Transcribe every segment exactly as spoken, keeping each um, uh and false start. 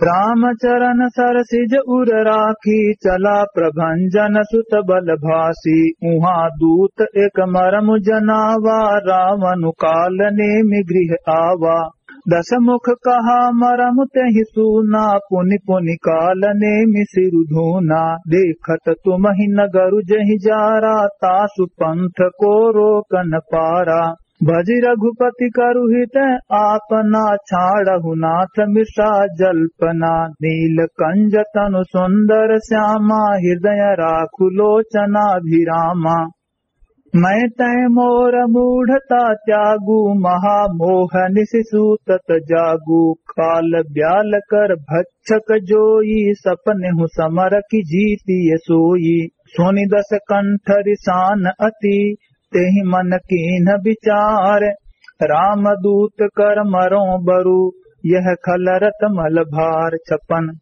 राम चरण सरसिज उर राखी, चला प्रभंजन सुत बल भासी। उहाँ दूत एक मरम जनावा, रावनु काल नेमि गृह आवा। दस मुख कहा मरम तेहि सूना, पुनि पुनि काल नेमि सिरु धूना। देखत तुमहि नगरु जहि जारा, तासु पंथ को रोकन पारा। भजि रघुपति करु हित आपना, छाड़हु नाथ मृषा जल्पना। नील कंज तनु सुंदर श्यामा, हृदय राखु लोचनाभिरामा। मैं तै मोर मूढ़ता त्यागू, महामोह निशि सूतत जागू। काल ब्याल कर भक्षक जोई, सपनेहु समर की जीतिय सोई। सुनि दस कंठ रिसान अति, तेहि मन कीन्ह विचार। रामदूत कर मरो बरु, यह खलरत मल भार। छप्पन।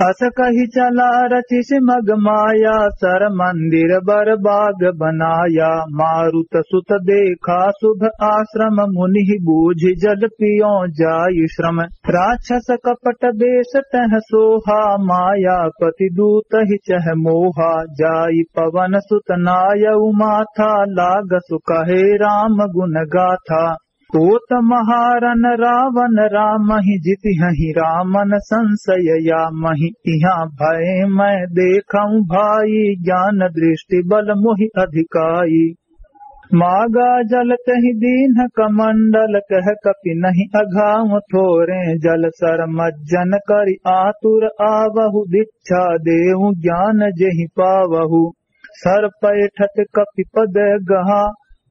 अस कहि चला रचिसि मग माया, सर मंदिर बर बाग बनाया। मारुत सुत देखा शुभ आश्रम, मुनिहि बूझि जल पियो जाई श्रम। राक्षस कपट बेस तह सोहा, मायापति दूतहि चह मोहा। जाई पवन सुत नायउ माथा, लागसु कहे राम गुण गाथा। पोत महारन रावण रामहि, जितिहहि रामन संसय यामहि। इहाँ भय मैं देखउँ भाई, ज्ञान दृष्टि बल मोहि अधिकाई। मागा जल तहि दीन्ह कमंडल, कह कपि नहीं अघाउँ थोरे जल। सर मज्जन करि आतुर आवहु, दीक्षा देउँ ज्ञान जेहि पावहु। सर पैठत कपि पद गहा,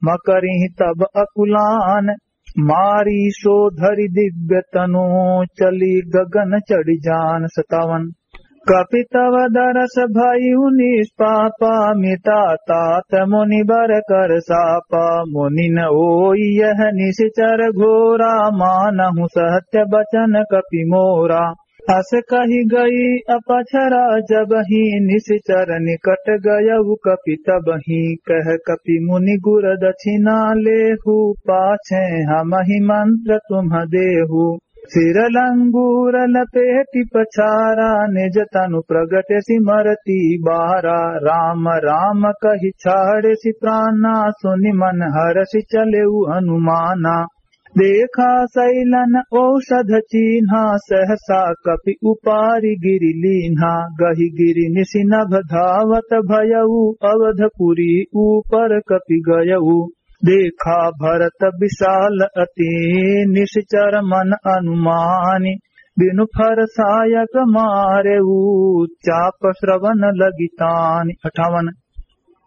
मकरिहि तब अकुलान। मारीसो धरि दिव्य तनु, चली गगन चढ़ि जान। सतावन। कपि तव दरस भयउ निष्पापा, मिटा तात मुनि बर कर सापा। मुनि न ओई यह निशिचर घोरा, मानहु सत्य बचन कपि मोरा। अस कहि गई अपछरा जबहिं, निशिचर निकट गयउ कपि तबहिं। कह कपि मुनि गुर दक्षिणा लेहु, पाछे हमहिं मंत्र तुम्ह देहु। सिर लंगूर लपेटि पछारा, निज तनु प्रगटसि मरति बारा। राम राम कहि छाड़सि प्राना, सुनि मन हरषि चलेउ हनुमाना। देखा सैलन औषध चीन्हा, सहसा कपि उपारि गिरि लीन्हा। गहि गिरि निशि नभ धावत भयउ, अवधपुरी ऊपर कपि गयउ। देखा भरत विशाल अति, निशिचर मन अनुमानि। बिनु फर सायक मारेउ, चाप श्रवण लगी तानि। अठावन।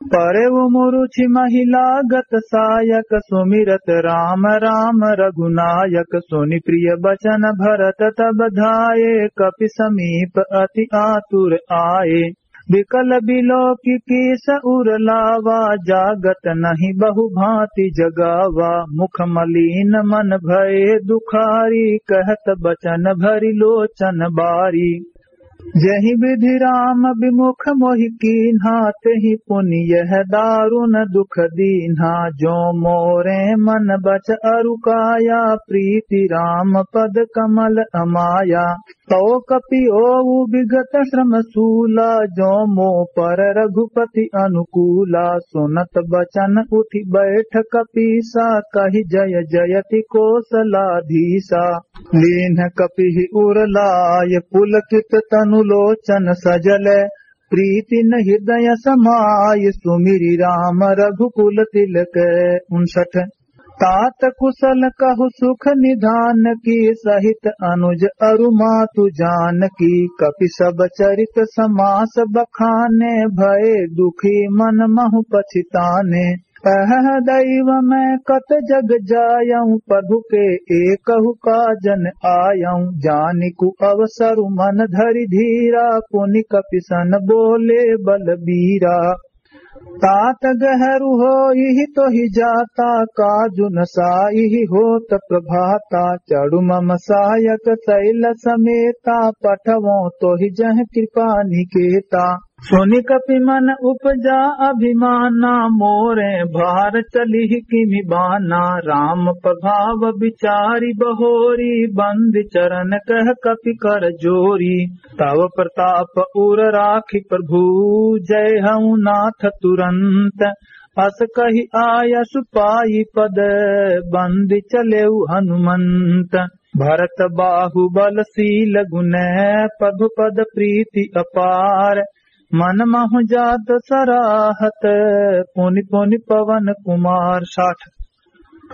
परेउ मुरुचि महि लागत सायक, सुमिरत राम राम रघुनायक। सुनि प्रिय बचन भरत तब धाये, कपि समीप अति आतुर आये। विकल बिलोकि कीस उर लावा, जागत नहीं बहु भाँति जगावा। मुख मलीन मन भये दुखारी, कहत बचन भरि लोचन बारी। जहि विधि राम विमुख मोहि कीन्हा, तेहि पुनि यह दारुन दुख दीन्हा। जो मोरे मन बच अरु काया, प्रीति राम पद कमल अमाया। तौ कपि ओउ विगत श्रम सूला, जो मो पर रघुपति अनुकूला। सुनत बचन उठि बैठ कपीसा, कहि जय जयति कोसलाधीसा। लीन्ह कपिहि उर लाय, पुलकित तनु लोचन सजल। प्रीति न हृदय समाय, सुमिरि राम रघुकुल तिलक। उनसठ। तात कुसल कहु सुख निधान की, सहित अनुज अरु मातु जानकी। कपि सब चरित समास बखाने, भए दुखी मन महु पछिताने। अहह दैव मैं कत जग जायउँ, प्रभु के एकहु काज न आयउँ। जानिकु अवसरु मन धरि धीरा, पुनि कपि सन बोले बलबीरा। तात गहरु होइहि तोहि जाता, काजु न साइहि होत प्रभाता। चढ़ु मम सायक सैल समेता, पठवौं तोहि जह कृपा निकेता। सुनि कपि मन उपजा अभिमाना, मोरे भार चलिहि किमि बाना। राम प्रभाव बिचारि बहोरी, बंद चरण कह कपि कर जोरी। तव प्रताप उर राखि प्रभु, जय हऊ नाथ तुरंत। अस कहि आयसु पाइ पद, बंद चलेउ हनुमंत। भरत बाहुबल शील गुण, प्रभु पद प्रीति अपार। मन महु जात सराहत, पुनि पुनि पवन कुमार। साठ।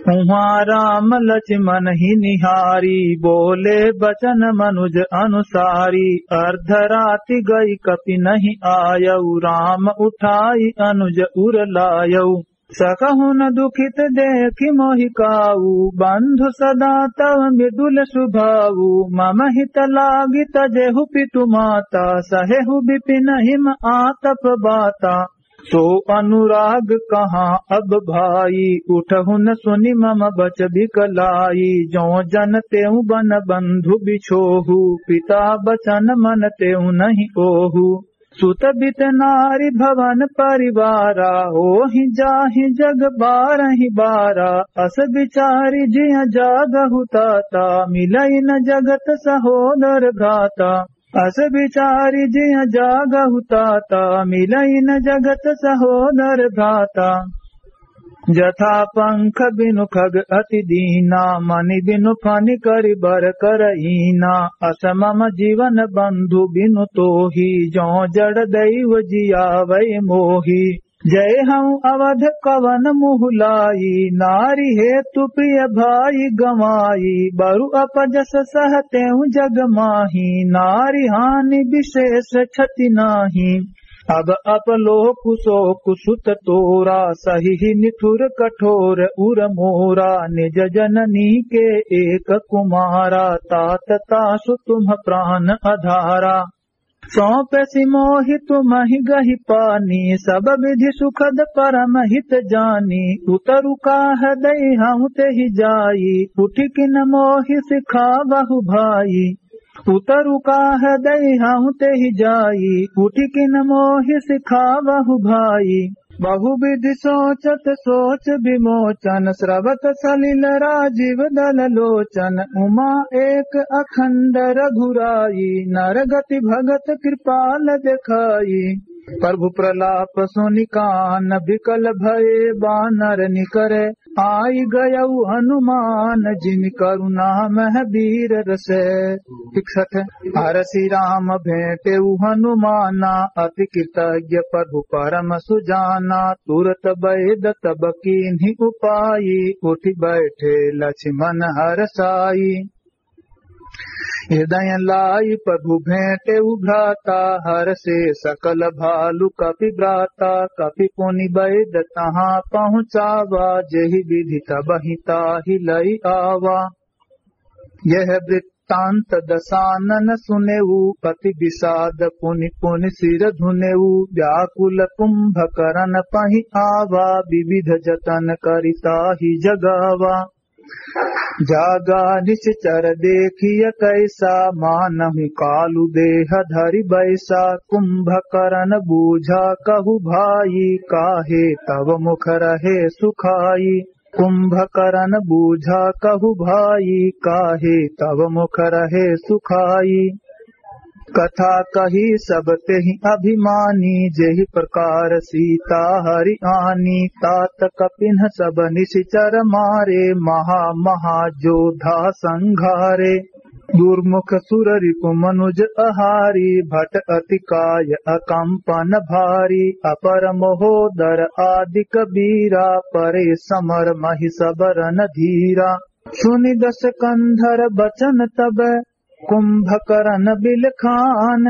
उहाँ राम लक्ष्मण ही निहारी, बोले बचन मनुज अनुसारी। अर्धराति गई कपि नहीं आयउ, राम उठाई अनुज उर लायउ। सकहुन दुखित देखि मोहि काऊ, बंधु सदा तव मृदुल सुभाऊ। मम हित लागि तजेहु पितु माता, सहेहु विपिन हिम आतप बाता। सो अनुराग कहाँ अब भाई, उठहुन सुनि मम बच बिकलाई। जो जन तेउ बन बंधु बिछोहु, पिता बचन मन तेउ नहीं ओहु। सुत बित नारी भवन परिवारा, होहि जाहि जग बारहि बारा। अस बिचारि जिय जागहु ताता, मिलइ न जगत सहोदर भ्राता। अस बिचारि जिय जागहु ताता, मिलइ न जगत सहोदर भ्राता। जथा पंख बिनु खग अति दीना, मनि बिनु फनि करि बर करहीना। अस मम जीवन बंधु बिनु तोही, जो जड़ दैव जियावै मोही। जय हऊ अवध कवन मुहु लाई, नारी हेतु प्रिय भाई गंवाई। बरु अपजस सह तेउ जग माही, नारी हानि विशेष क्षति नाही। अब अपलोकु सोकु सुत तोरा, सहिहि निठुर कठोर उर मोरा। निज जननी के एक कुमारा, तात तासु तुम्ह प्रान अधारा। सौंपेसि मोहि तुम्हि गहि पानी, सब विधि सुखद परम हित जानी। उतरु काह दई हउँ तेहि जाई, उठि किन मोहि सिखावहु भाई। उतरु काह दई हउँ तेहि जाई, उठि किन मोहि सिखावहु भाई। बहुविधि सोचत सोच विमोचन, स्रवत सलिल राजीव दल लोचन। उमा एक अखंड रघुराई, नर गति भगत कृपाल देखाई। प्रभु प्रलाप सुनि कान बिकल भए, बानर निकरे आई गयउ हनुमान। जिमि करुणा मह वीर रसे। इकसठ। हरषि राम भेंटेउ हनुमाना, अति कृतज्ञ प्रभु परम सुजाना। तुरत बैद तब कीन्हि उपाई, उठि बैठे लक्ष्मन हरषाई। हृदय लाई प्रभु भेंटेउ भ्राता, हरषे सकल भालु कपि भ्राता। कपि पुनि बैद तहाँ पहुँचावा, जेहि विधि तबहि ताहि लई आवा। यह वृत्तांत दसानन सुनेउ, अति विषाद पुनि पुनि सिर धुनेउ। व्याकुल कुंभकरन पहि आवा, विविध जतन करि ताहि जगावा। जागा निशिचर देखिय कैसा, मानहु कालु देह धरि बैसा। कुंभकरन बूझा कहु भाई, काहे तव मुख रहे सुखाई। कुंभकरन बूझा कहु भाई, काहे तव मुख रहे सुखाई। कथा कही सब तेहि अभिमानी, जेहि प्रकार सीता हरि आनी। तात कपिन्ह सब निशिचर मारे, महा महा जोधा संघारे। दुर्मुख सुर रिपु मनुज अहारी, भट अति काय अकंपन भारी। अपर महोदर आदि कबीरा, परे समर महि सब रन धीरा। सुनि दस कंधर बचन तब, कुंभकरन बिलखान।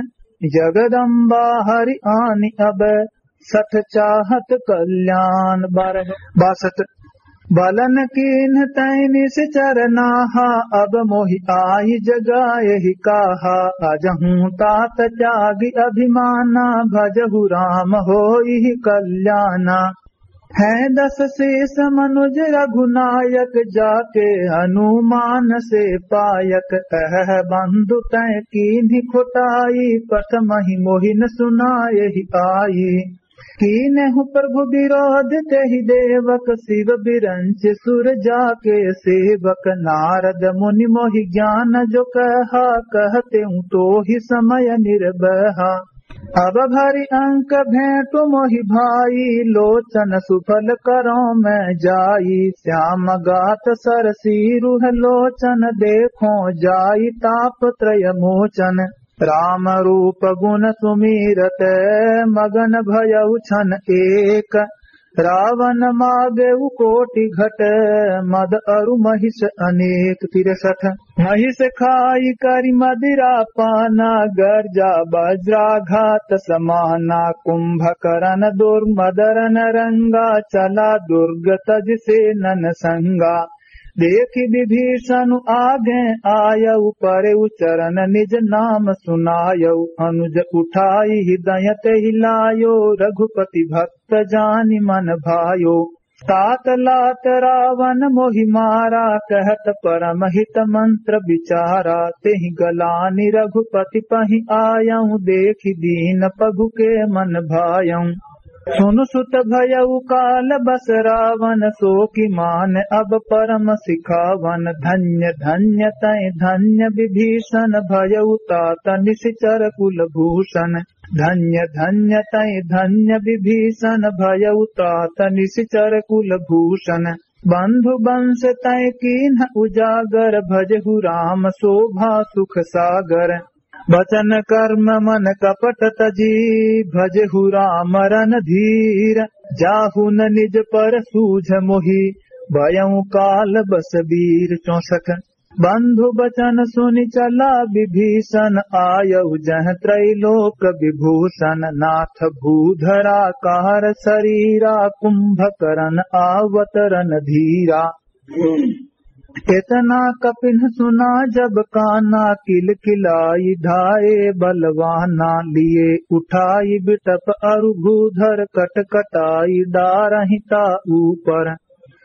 जगदम्बा हरि आनि अब, सठ चाहत कल्याण। बारह, बासठ। बलन कीन्ह तैं निशिचर नाहा, अब मोहि आइ जगायहि काहा। अजहूँ तात त्यागि अभिमाना, भजहु राम होइहि कल्याना। हैं दस शीस मनुज रघुनायक, जाके हनुमान से पायक। अह बंधु तैं कीन्ही खोटाई, प्रथमहि मोहि न सुनायहि आई। कीन्हु प्रभु विरोध तेहि देवक, शिव बिरंच सुर जाके सेवक। नारद मुनि मोहि ज्ञान जो कहा, कहतेउ तोहि समय निर्बहा। अब भरि अंक भेंटु मोहि भाई, लोचन सुफल करौं मैं जाई। श्याम गात सरसीरुह लोचन, देखौं जाई ताप त्रय मोचन। राम रूप गुण सुमीरत, मगन भयउ छन एक। रावन मागेउ कोटि घट, मद अरु महिष अनेक। तिरसठ। महिष खाई करि मदिरा पाना, गर्जा वज्राघात समाना। कुंभकरन दुर्मदरन रंगा, चला दुर्ग तजि सेनन संगा। देखि विभीषन आगे आयउ, परेउ चरन निज नाम सुनायउ। अनुज उठाई हृदय तेहि लायो, रघुपति भक्त जानि मन भायो। तात लात रावन मोहि मारा, कहत परम हित मंत्र विचारा। तेहि गलानि रघुपति पहि आयउ, देखि दीन पगु के मन भायउ। सुनु सुत भयउ काल बस रावन, सो कि मान अब परम सिखावन। धन्य धन्य तैं धन्य विभीषन, भयउ तात निशिचर कुल भूषण। धन्य धन्य तैं धन्य विभीषन, भयउ तात निशिचर कुल भूषण। बंधु बंस तैं कीन्ह उजागर, भजहु राम शोभा सुख सागर। वचन कर्म मन कपट तजी, भजहु राम रणधीर। जाहु न निज पर सूझ मोहि, भयउ काल बस वीर। चौसठ। बंधु बचन सुनि चला विभीषन, आयउ जह त्रैलोक विभूषण। नाथ भूधराकार सरीरा, कुंभकरन आवत रणधीरा। एतना कपिन्ह सुना जब काना, किलकिलाइ धाए बलवाना। लिए उठाइ बिटप अरु भूधर, कटकटाइ डारहिं ता ऊपर।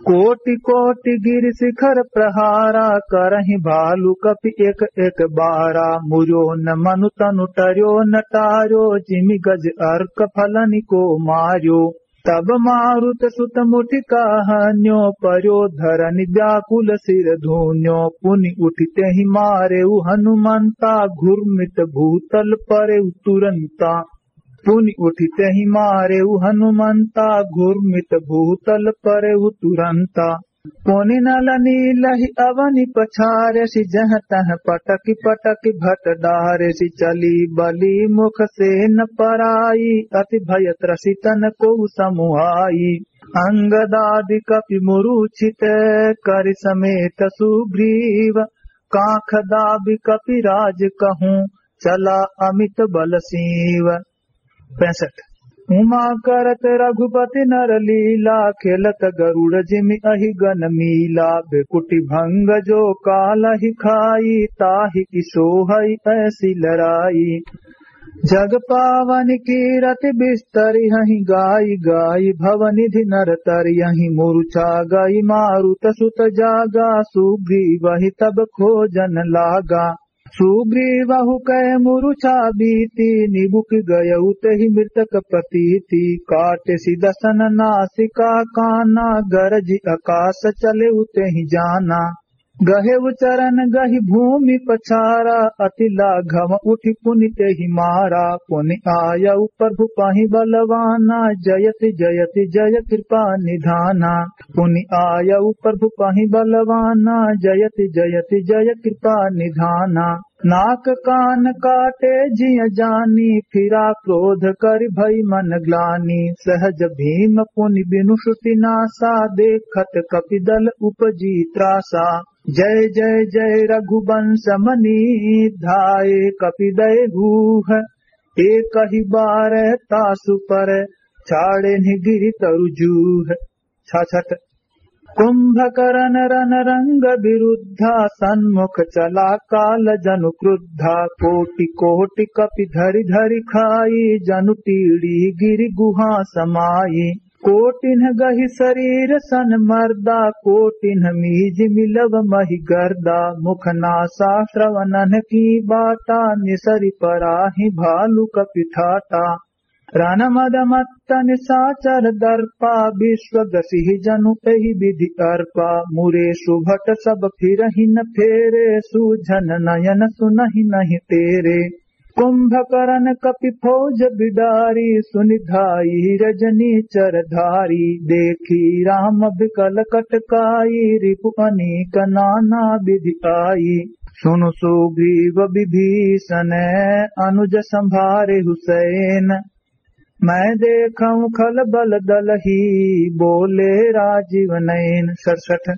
कोटि कोटि गिरि शिखर प्रहारा, करहिं भालु कपि एक एक बारा। मुर्यो न मनु तनु टर्यो न टार्यो, जिमि गज अर्क फलनि को मार्यो। तब मारुत सुत मुठि काहन्यो, पर्यो धरनि व्याकुल सिर धून्यो। पुनि उठि तेहि मारेउ हनुमंता, घुर्मित भूतल परेउ तुरंता। पुनि उठि तेहि मारेउ हनुमंता, घुर्मित भूतल परेउ तुरंता। पुनि नल नीलहि अवनि पछारेसि, जह तह पटकि पटकि भट डारेसि। चली बली मुख सेन पराई, अति भय त्रसितन कोउ समुहाई। अंगदादि कपि मुरुछित करि समेत सुग्रीव, कांख दाबि कपिराज कहूँ चला अमित बल सीव। पैंसठ। उमा करत रघुपति नर लीला, खेलत गरुड़ जिमि अहि गन मीला। भृकुटि भंग जो कालहि खाई, ताहि कि सोहइ ऐसी लड़ाई। जग पावन कीरति बिस्तरिहहि, गाइ गाइ भवनिधि नर तरिहहि। मुरुछा गइ मारुत सुत जागा, सुग्रीवहि तब खोजन लागा। सुग्रीवहु कै मुरुछा बीती, निबुकि गयउ तेहि मृतक प्रतीति। काटेसि दसन नासिका काना, गरजि अकास चलेउ तेहि जाना। गहेउ चरन गहि भूमि पछारा, अति लाघव उठि पुनि तेहि मारा। पुनि आयउ प्रभु पहि बलवाना, जयति जयति जय कृपा निधाना। पुनि आयउ प्रभु पहि बलवाना, जयति जयति जय कृपा निधाना। नाक कान काटे जिय जानी, फिरा क्रोध करि भई मन ग्लानी। सहज भीम पुनि बिनु श्रुति नासा, देखत कपि दल उपजी त्रासा। जय जय जय रघुबंस मनी, धाये कपि दय हूह। एकहि बार तासु पर, छाड़ेन्हि गिरि तरु जूह। छाछठ। कुंभकरन रन रंग बिरुद्धा, सन्मुख चला काल जनु क्रुद्धा। कोटि कोटि कपि धरि धरि खाई, जनु टीड़ी गिरि गुहा समाई। कोटिन्ह गहि सरीर सन मर्दा, कोटिन्ह मीजि मिलव महि गर्दा। मुख नासा श्रवणन की बाटा, निसरि पराहि भालु कपि ठाटा। रन मद मत्त निसाचर दर्पा, विश्व गसिहि जनु एहि विधि अर्पा। मुरे सुभट सब फिरहिं न फेरे, सूझन नयन सुनहिं नहीं टेरे। कुंभकरन कपि फौज बिडारी, सुनि धाई रजनीचर धारी। देखि राम बिकल कटकाई, रिपु अनेक नाना विधि आई। सुनु सुग्रीव विभीषन, अनुज सँभारेहु सैन। मैं देखउँ खल बल दलहि, बोले राजीव नैन। सड़सठ।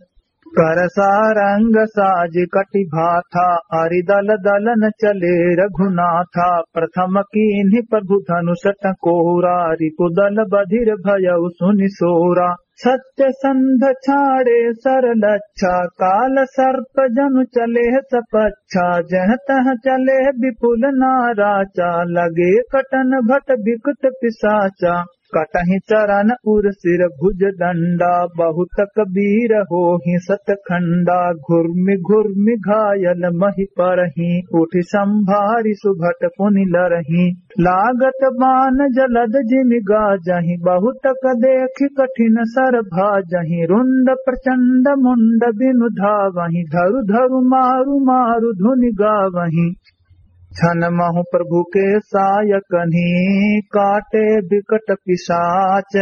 कर सारंग साज कटि भाथा, अरि दल दलन चले रघुनाथा। प्रथम कीन्हि प्रभु धनुष टकोरा, रिपु दल बधिर भयउ सुनि सोरा। सत्यसंध छाड़े सर लच्छा, काल सर्प जनु चले सपच्छा। जह तह चले विपुल नाराचा, लगे कटन भट बिकट पिसाचा। कटहिं चरन उर सिर भुज दंडा, बहुतक बीर होहिं सतखंडा। घुर्मि घुर्मि घायल महि परहीं, उठि सँभारि सुभट पुनि लरहीं। लागत बान जलद जिमि गाजहीं, बहुतक देखि कठिन सर भाजहीं। रुंड प्रचंड मुंड बिनु धावहीं, धरु धरु मारु मारु धुनि गावहीं। छन महु प्रभु के सायकन्हि, काटे बिकट पिसाच।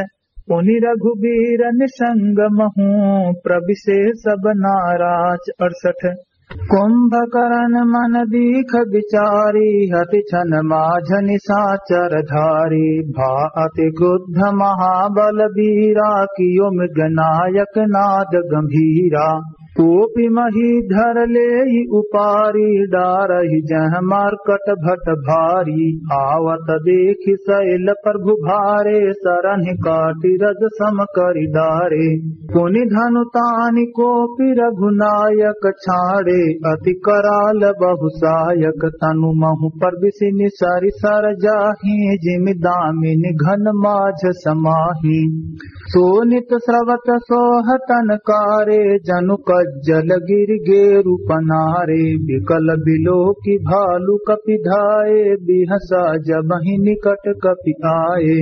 पुनि रघुबीर निसंग महु, प्रबिसे सब नाराच। अड़सठ। कुंभकरन मन दीख बिचारी, अति छन माझ निसाचर धारी। भा अति क्रुद्ध महाबल बीरा, कियो मृग नायक नाद गंभीरा। कोपि महीधर लेइ उपारी, डारहि जह मर्कट भट भारी। आवत देखि सैल प्रभु भारे, सरन्हि काटि रज सम करि डारे। पुनि धनु तानि कोपि रघुनायक छाड़े, अति कराल बहुसायक। तनु महु प्रबिसि निसरि सर जाहीं, जिमि दामिनि घन माझ समाहीं। सोनित स्रवत सोह तन कारे, जनु कज्जल गिरि गेरु पनारे। बिकल बिलोकि भालु कपि धाए, बिहसा जबहिं निकट कपि आए।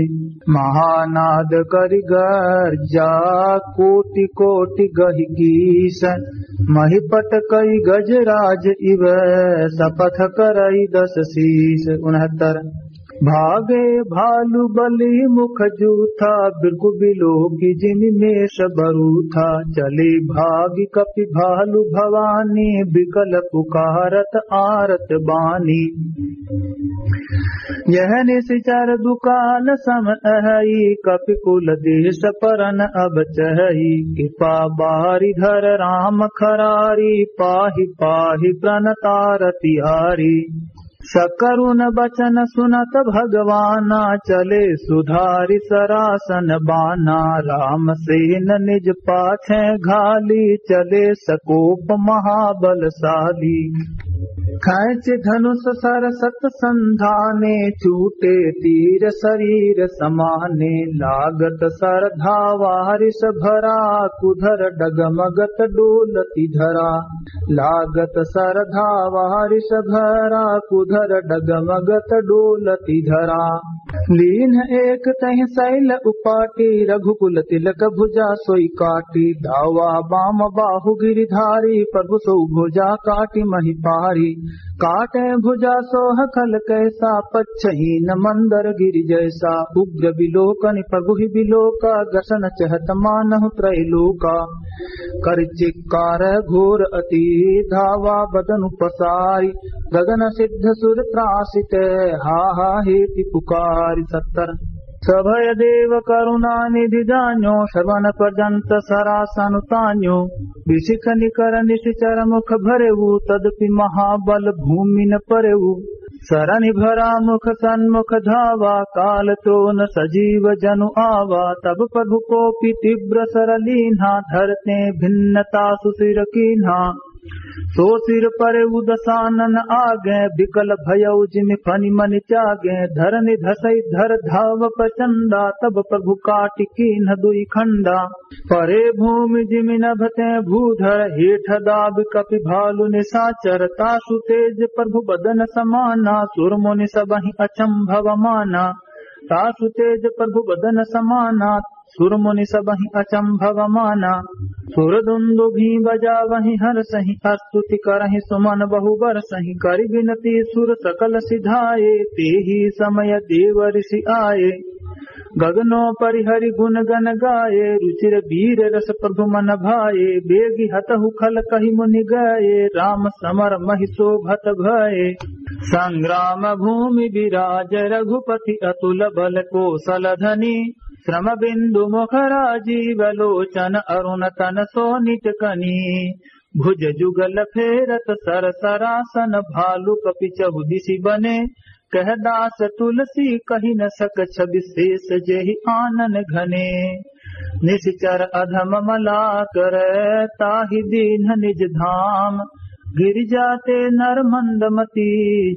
महानाद करि गर्जा कोटि कोटि गहि गीस, महि पटकइ गजराज इव सपथ करइ दस सीस। उनहत्तर। भागे भालु बली मुख जूथा, बिरगु बिलोकि जिमि मेष बरूथा। चली भागि कपि भालु भवानी, बिकल पुकारत आरत बानी। यह निसिचर दुकाल सम अहइ, कपि कुल देस परन अब चहइ। कृपा बारि धर राम खरारी, पाहि पाहि प्रणतारति आरी। सकरुन बचन सुनत भगवाना, चले सुधारि सरासन बाना। रामसेन निज पाछे घाली, चले सकोप महाबलशाली। खैंचि धनुष सर सत संधाने, छूटे तीर सरीर समाने। लागत सर धावा हरिष भरा, कुधर डगमगत डोलति धरा। लागत सर धावा हरिष भरा, कुधर डगमगत डोलति धरा। लीन्ह एक तहिं सैल उपाटी, रघुकुल तिलक भुजा सोइ काटी। दावा बाम बाहु गिरिधारी, प्रभु सोउ भुजा काटि महि पारी। काटे भुजा सोह खल कैसा, पच्छ हीन मंदर गिरि जैसा। उग्र बिलोकनि प्रभु ही बिलोका, ग्रसन चहत मानहु त्रैलोका। करि चिक्कार घोर अति, धावा बदनु पसारि। गगन सिद्ध सुर त्रासित, हा हा हेति पुकारि। सत्तर। सभय देव करुणा निधि जान्यो, श्रवण पर्यंत सरासन तान्यो। बिसिख निकर निसिचर मुख भरेउ, तदपि महाबल भूमि न परेउ। सरनि भरा मुख सन्मुख धावा, काल तोन सजीव जनु आवा। तब प्रभु कोपि तीव्र सर लीन्हा, धरते भिन्नता सुसिर कीन्हा। सो सिर परे उदसानन आगे, बिकल भयउ जिमि फनि मनि त्यागे। धरनि धसइ धर धाव प्रचंडा, तब प्रभु काटि कीन्ह दुइ खंडा। परे भूमि जिमि नभ तें भूधर, हेठ दाबि कपि भालु निसाचर। तासु तेज प्रभु बदन समाना, सुर मुनि सबहिं अचंभव माना। तासु तेज प्रभु बदन समाना, सुर मुनि सबहिं अचंभव माना। सुर दुंदुभि बजावहिं हरसहिं, स्तुति करहिं सुमन बहु बरसहिं। करि बिनती सुर सकल सिधाए, तेहि समय देव ऋषि आए। गगनो परि हरि गुन गन गाए, रुचिर वीर रस प्रभु मन भाए। बेगि हतहु खल कहि मुनि गए, राम समर महि शोभत भए। संग्राम भूमि विराज रघुपति अतुल बल कोसल धनी। श्रम बिंदु मुख राजीव लोचन अरुण तन सोनित कनी। भुज जुगल फेरत सर सरासन भालु कपि चहुदिसि बने। कह दास तुलसी कहि न सक छवि शेष जेहि आनन घने। निशिचर अधम मला कर ताहि दीन्ह निज धाम। गिरि जाते नर मंद मति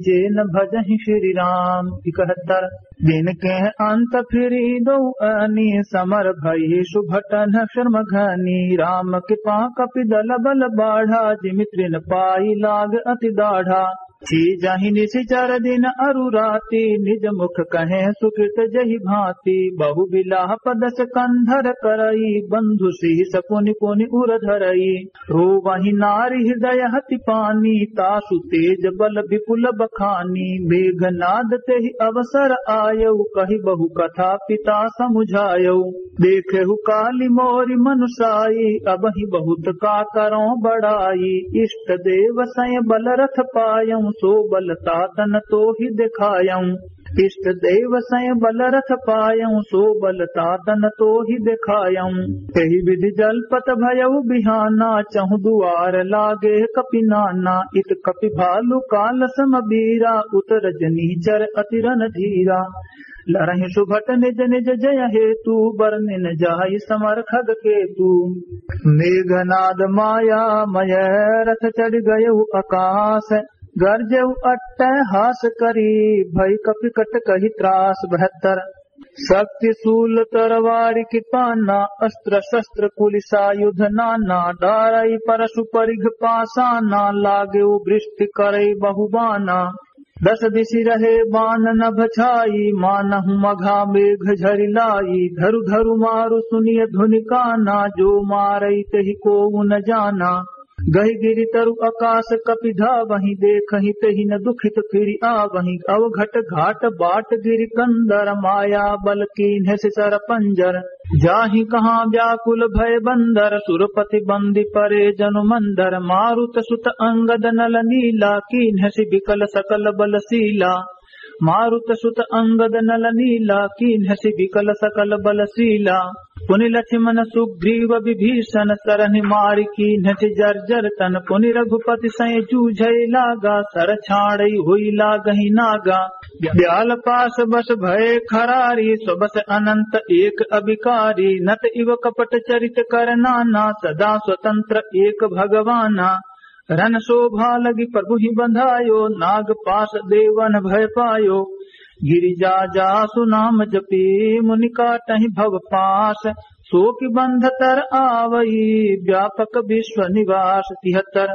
जे न भजहिं श्री राम। इकहत्तर। जिनके अंत फिरि दो अनी समर भई सुभटन श्रम घनी। राम कृपा कपि दल बल बाढ़ा जिमि तृन पाई लाग अति दाढ़ा। सी जाहि निशिचर दिन अरु राति निज मुख कहे सुकृत जहि भांति। बहु बिलाप दस कंधर करई बंधु सिहि सकुनि पुनि उर धरई। रोवहि नारि हृदय हति पानी, तासु तेज बल विपुल बखानी। मेघनाद तेहि अवसर आयउ, कहि बहु कथा पिता समुझायउ। देखेहु कालि मोरि मनुसाई, अबहिं बहुत का करौं बड़ाई। इष्ट देव सैं बल रथ पायउ, सो बल तातन तोहि देखायउ। इष्ट देव सैं बल रथ पायउ, सो बल तातन तोहि देखायउ। एहि विधि जलपत भयउ बिहाना, चहुँ दुआर लागे कपि नाना। इत कपि भालु काल सम बीरा, उत रजनीचर अति रणधीरा। लरहिं सुभट निज निज जय हेतु, बरनिन जाइ समर खग केतु। मेघनाद माया मय रथ चढ़ि गयउ अकास, गरजेउ अट्टहास करी, भई कपि कटकहि त्रास। बहत्तर। शक्ति शूल तरवारि कृपाना, अस्त्र शस्त्र कुलिसायुध नाना। डारई परशु परिघ पासाना, लागेउ वृष्टि करई बहु बाना। दस दिशि रहे बान नभ छाई, मानहु मघा मेघ झरि लाई। धरु धरु मारु सुनिय धुनि काना, जो मारई तेहि कोउ न जाना। गहि गिरि तरु अकास कपि धावहिं, देखहिं तेहि न दुखित फिरि आवहिं। अवघट घाट बाट गिरि कंदर, माया बल कीन्हसि सर पंजर। जाहि कहाँ व्याकुल भए बंदर, सुरपति बंदी परे जनु मंदर। मारुत सुत अंगद नल नीला, कीन्हसि बिकल सकल बल सीला। मारुत सुत अंगद नल नीला, कीन्हसि बिकल सकल बल सीला। पुनि लक्ष्मण सुग्रीव विभीषण, सरनि मारि कीन्हसि जर्जर तन। पुनि रघुपति सैं जूझइ लागा, सर छाड़इ होइ लागहि नागा। ब्याल पास बस भए खरारी, स्वबस अनंत एक अभिकारी। नत इव कपट चरित कर नाना, सदा स्वतंत्र एक भगवाना। रन शोभा लगि प्रभु ही बंधायो, नाग पास देवन भय पायो। गिरिजा जासु नाम जपी, मुनि काटहि भव पास। सो कि बंध तर आवई, व्यापक विश्व निवास। तिहत्तर।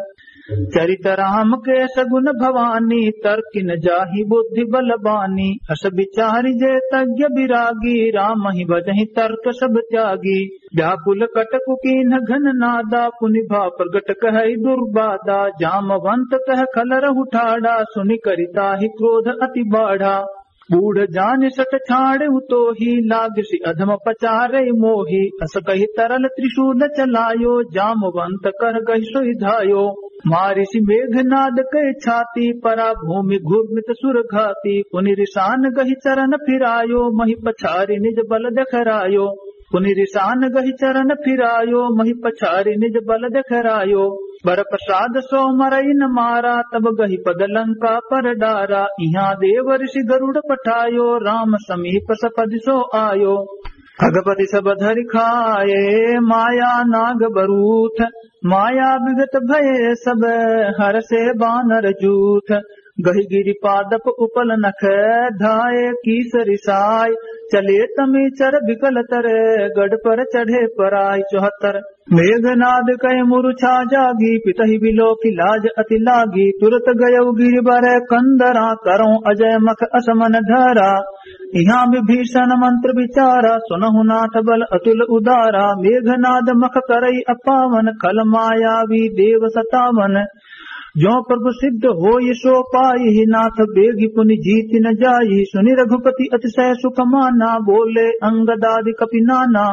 चरित राम के सगुन भवानी, तर्क न जाहि बुद्धि बल बानी। अस विचारि जे तज्ञ विरागी, रामहि भजहि तर्क सब त्यागी। व्याकुल कटकु कीन्ह घन नादा, पुनि भा प्रगट कहइ दुर्बादा। जामवंत कह खलरहु ठाढ़ा, सुनि करि ताहि क्रोध अति बाढ़ा। बूढ़ जानि सट छाड़ेउ तोही, लागसि अधम पचारइ मोही। अस कहि तरल त्रिशूल चलायो, जामवंत कर गहि सोइ धायो। मारिसि मेघनाद कइ छाती, परा भूमि घूर्मित सुर घाती। पुनि रिसान गहि चरन फिरायो, महि पछारि निज बल देखरायो। पुनि रिसान गहि चरन फिरायो, महि पछारि निज बल देखरायो। बर प्रसाद सो मरइ न मारा, तब गहि पद लंका पर डारा। इहाँ देव ऋषि गरुड़ पठायो, राम समीप सपदि सो आयो। खगपति सब धरि खाए माया नाग बरूथ, माया विगत भये सब हरषे बानर जूथ। गहि गिरि पादप उपल नख धाए कीस रिसाय, चले तमी चर बिकल तर गढ़ पर चढ़े पराय। चौहत्तर। मेघनाद कहि मुरुछा जागी, पितहि बिलोकि लाज अति लागी। तुरत गयउ गिरिबर कंदरा, करउँ अजय मख अस मन धरा। इहाँ विभीषण मंत्र विचारा, सुनहु नाथ बल अतुल उदारा। मेघनाद मख करइ अपावन, खल मायावी देव सतावन। जो प्रभु सिद्ध होइ सो पाई, नाथ बेगि पुनि जीति न जाई। सुनि रघुपति अतिशय सुख माना, बोले अंगदादि कपि नाना।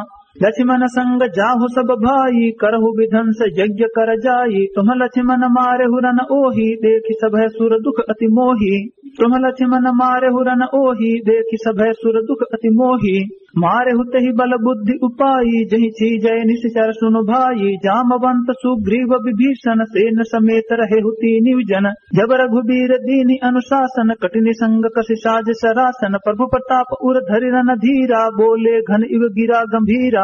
लक्ष्मण संग जाहु सब भाई, करहु विध्वंस यज्ञ कर जाई। तुम लक्ष्मण मारेहु रन ओही, देखि सभय सुर दुख अति मोही। तुम लक्ष्मण मारेहु रन ओही, देखि सभय सुर दुख अति मोही। मारेहु तेहि बल बुद्धि उपाई, जहि चीजय निशिचर सुनु भाई। जामवंत सुग्रीव विभीषण, सेन समेत रहेहु तीनिउ जन। जब रघुबीर दीन्हि अनुशासन, कठिन संग कसि साज सरासन। प्रभु प्रताप उर धरि रन धीरा, बोले घन इव गिरा गंभीरा।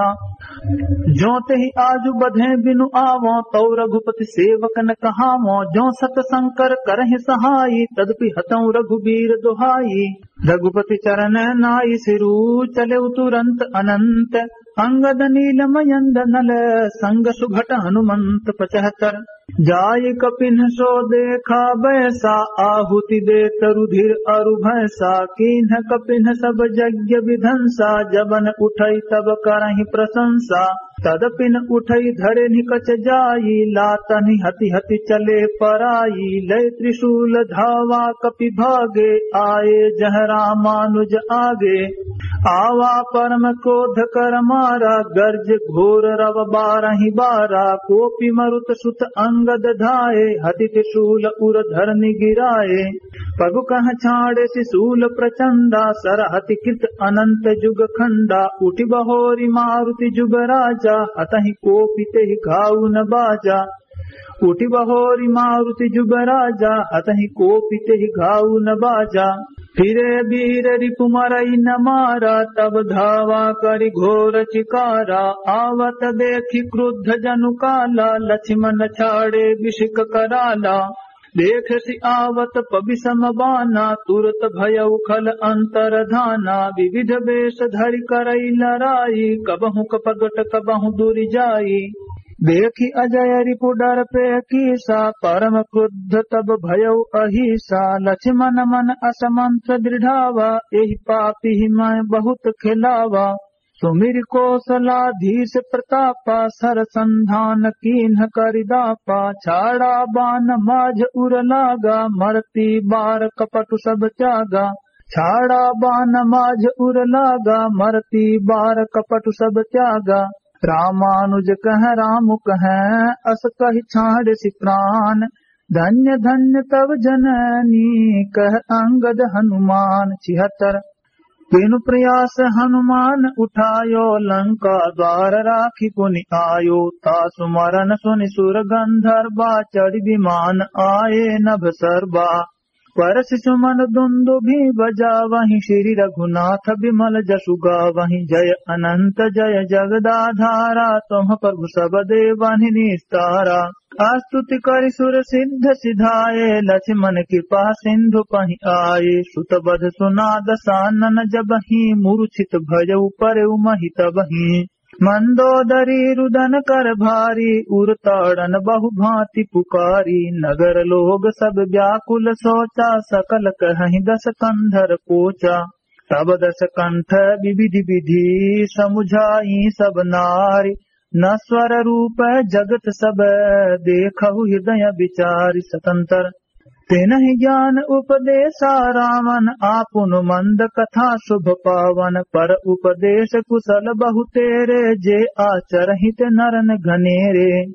जो तेहि आजु बधें बिनु आवों, तउ रघुपति सेवकन कहावों। जो सत संकर करहिं सहाई, तदपि हतउँ रघुबीर दोहाई। रघुपति चरण नाई सिरु, चलेउ तुरंत अनंत। अंगद नील मयंद नल, संग सुभट हनुमंत। पचहत्तर। जाई कपिन्ह सो देखा बैसा, आहुति देत रुधिर अरु भैंसा। कीन्ह कपिन्ह सब यज्ञ विधंसा, जबन उठई तब करहिं प्रशंसा। तदपिन उठई धरे निकच जाई, लातनि हति हति चले पराई। लय त्रिशूल धावा कपि भागे, आए जह रामानुज आगे। आवा परम क्रोध कर मारा, गर्ज घोर रव बारहि बारा। कोपि मरुत सुत अंगद धाए, हति त्रिशूल उर धरनि गिराए। पगु कह छाड़ेसि शूल प्रचंडा, सर हति कृत अनंत जुग खंडा। उठि बहोरि मारुति जुग राजा, हतहि कोपि तेहि घाउ न बाजा। उठि बहोरि मारुति जुग राजा, हतहि कोपि तेहि घाउ न बाजा। फिरे वीर रिपु मरइ न मारा, तब धावा करि घोर चिकारा। आवत देखि क्रुद्ध जनु काला, लक्ष्मन छाड़े बिसिक कराला। देखसि आवत पबिसम बाना, तुरत भयउ खल अंतर धाना। विविध बेस धरि करइ लराई, कबहुँ कपगट कबहुँ दुरि जाई। देखि अजय रिपु डरपे कीसा, परम क्रुद्ध तब भयउ अहीसा। लक्ष्मन मन अस मंत्र दृढ़ावा, एहि पापी मैं बहुत खेलावा। सुमिरि कौसलाधीश प्रतापा, सर संधान कीन्ह करि दापा। छाड़ा बान माझ उर लागा, मरती बार कपटु सब त्यागा। छाड़ा बान माझ उर लागा, मरती बार कपटु सब त्यागा। रामानुज कहँ राम कहँ, अस कहि छाड़िसि प्रान। धन्य धन्य तव जननी, कहँ अंगद हनुमान। छिहत्तर। तेनु प्रयास हनुमान उठायो, लंका द्वार राखि पुनि आयो। तासु मरन सुनि सुर गंधर्वा, चढ़ि विमान आए नभ सर्वा। परसि सुमन दुंदुभि बजावहिं, श्री रघुनाथ बिमल जसु गावहिं। जय अनंत जय जगदाधारा, तुम्ह प्रभु सब देवन्हि निस्तारा। अस्तुति करि सुर सिद्ध सिधाए, लक्ष्मन कृपा सिंधु पहि आए। सुत बध सुना दसानन जबहिं, मूर्छित भयउ परउ महि तबहिं। मंदोदरी रुदन कर भारी, उर ताड़न बहु भाँति पुकारी। नगर लोग सब व्याकुल सोचा, सकल कहहिं दस कंधर कोचा। तब दस कंठ विविध विधि, समुझाई सब नारी। नश्वर रूप जगत सब, देखहु हृदय विचारि। सतंतर। तेनहि ज्ञान उपदेसा रावन, आपुन मंद कथा शुभ पावन। पर उपदेश कुशल बहुतेरे, जे आचरहिं ते नरन घनेरे।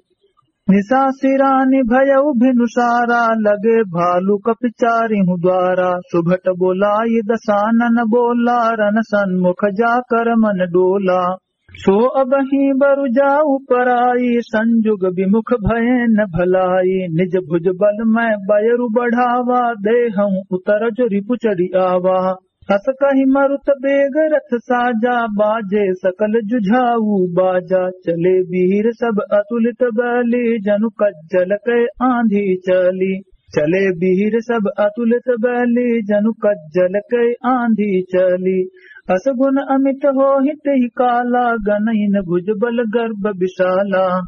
निसासी रानी भयउ भिनुसारा, लगे भालु कपि चारिहु द्वारा। सुभट बोलाइ दसानन बोला, रन सन्मुख जाकर मन डोला। सो अबहिं बरु जाउ पराई, संजुग विमुख भएन भलाई। निज भुज बल मय बयरु बढ़ावा, देहउँ उतरजु रिपु चढ़ि आवा। अस कहि मरुत बेग रथ साजा, बाजे सकल जुझाऊ बाजा। चले बीर सब अतुलित बली, जनु कज्जल कै आंधी चली। चले बीर सब अतुलित बली, जनु कज्जल कै आंधी चली। अस गुन अमित होहिं तेहि काला, गनइन भुज बल गर्भ विशाला।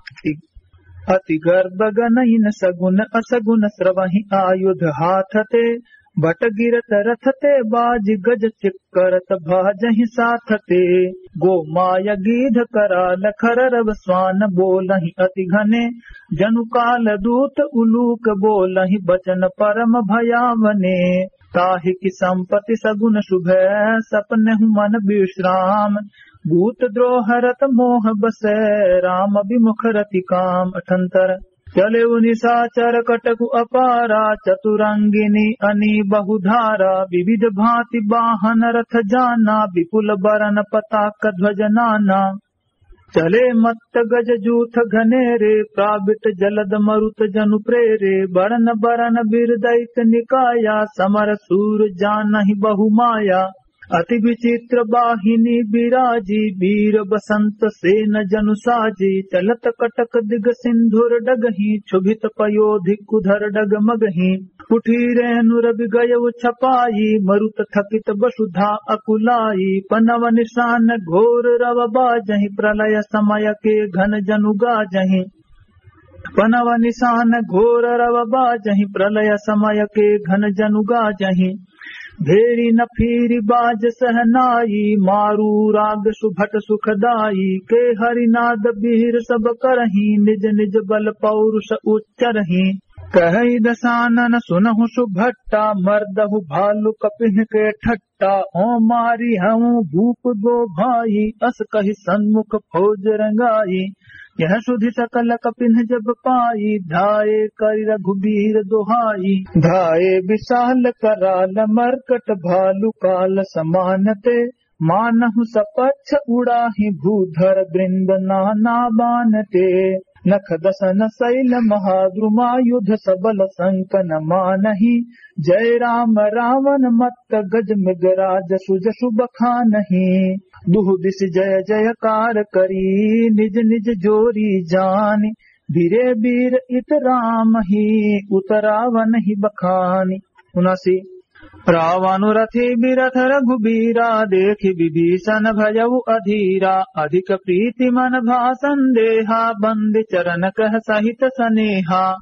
अति गर्भ गनइन सगुन असगुन, स्रवहिं आयुध हाथ ते। भट गिरत रथ ते बाजि, गज चिक्करत भाजहिं साथ ते। गोमाय गीध कराल खर रव, स्वान बोलहिं अति घने। जनु काल दूत उलूक, बोलहिं बचन परम भयावने। ताहि की संपति सगुन सुभै, सपनेहु मन विश्राम। भूत द्रोह रत मोह बसै, राम विमुख रति काम। अठंतर। चलेउ निशाचर कटकु अपारा, चतुरंगिनी अनी बहुधारा। विविध भांति बाहन रथ जाना, विपुल बरन पताक ध्वज नाना। चले मत्त गज जूथ घनेरे, प्राबिट जलद मरुत जनु प्रेरे। बरन बरन बीर दैत निकाया, समर सूर जानहिं बहु माया। अति विचित्र बाहिनी बिराजी, बीर बसंत सेन जनु साजी। चलत कटक दिग सिंधुर डगहिं, क्षुभित पयोधि कुधर डग मगहिं। उठी रेनु रवि गयउ छपाई, मरुत थकित बसुधा अकुलाई। पनव निशान घोर रव बाजहिं, प्रलय समय के घन जनु गाजहिं। पनव निशान घोर रव बाजहिं, प्रलय समय के घन जनु गाजहिं। भेरी न फीरी बाज सहनाई, मारू राग सुभट सुखदाई। के हरिनाद बीर सब करहिं, निज निज बल पौरुष उच्चरहिं। कहइ दसानन सुनहु सुभट्टा, मर्दहु भालु कपिन के ठट्टा। ओं मारी हउँ भूप गो भाई, अस कहि सन्मुख फौज रंगाई। यह सुधि सकल कपिन जब पाई, धाये करि रघुबीर दोहाई। धाये विशाल कराल मर्कट, भालु काल समान ते। मानहु सपच्छ उड़ाहिं भूधर बृंद नाना बान ते। नख दसन सैल महाद्रुमायुध सबल संकन मानहिं। जय राम रावन मत्त गज मृगराज सुजसु बखानहिं। दुहु दिस जय जयकार करी निज निज जोरी जानि। बीरे बीर इत रामहिं उत रावनहिं बखानि। उनासी। रावनु रथि बिरथ रघुबीरा, देखि बिभीषन भयउ अधीरा। अधिक प्रीति मन भा संदेहा, बंदि चरन कह सहित सनेहा।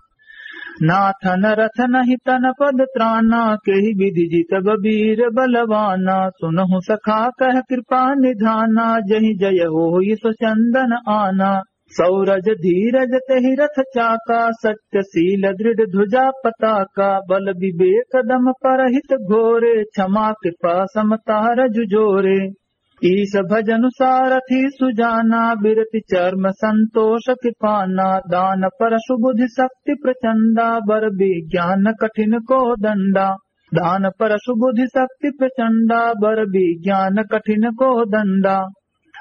नाथन रथ नहीं तन पद त्राना, केहि बिधि जितब बीर बलवाना। सुनहु सखा कह कृपा निधाना, जहि जय होई सो चंदन आना। सौरज धीरज तेहि रथ चाका, सत्य सील दृढ़ ध्वजा पताका। बल विवेक दम परहित घोरे, क्षमा कृपा समता रजु जोरे। ईश भजनु सारथि सुजाना, बिरति चर्म संतोष कृपाना। दान परसु बुधि शक्ति प्रचंडा, बर विज्ञान कठिन को दंडा। दान परसु बुधि शक्ति प्रचंडा, बर विज्ञान कठिन को दंडा।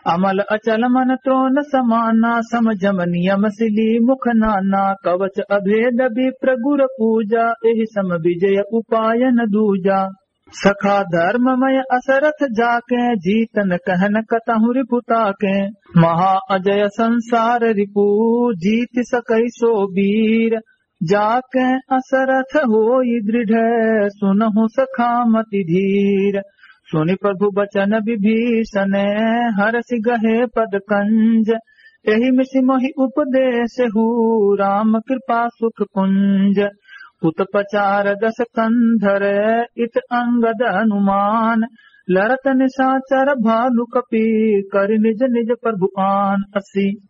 अमल अचल मन त्रोन समाना, सम जम नियम सिली मुख नाना। कवच अभेद विप्र गुर पूजा, एहि सम विजय उपाय न दूजा। सखा धर्ममय असरथ जाके, जीतन कहन कतहु रिपु ताके। महा अजय संसार रिपु, जीति सकै सो बीर। जाके असरथ होई दृढ़, सुनहु सखा मति धीर। सुनि प्रभु बचन विभीषन, हरषि गहे पद कंज। एहि मिषि मोहि उपदेसहु, राम कृपा सुख पुंज। उत पचार दस कंधर, इत अंगद हनुमान। लड़त निशाचर भालु कपि, करि निज निज प्रभु आन। अस्सी।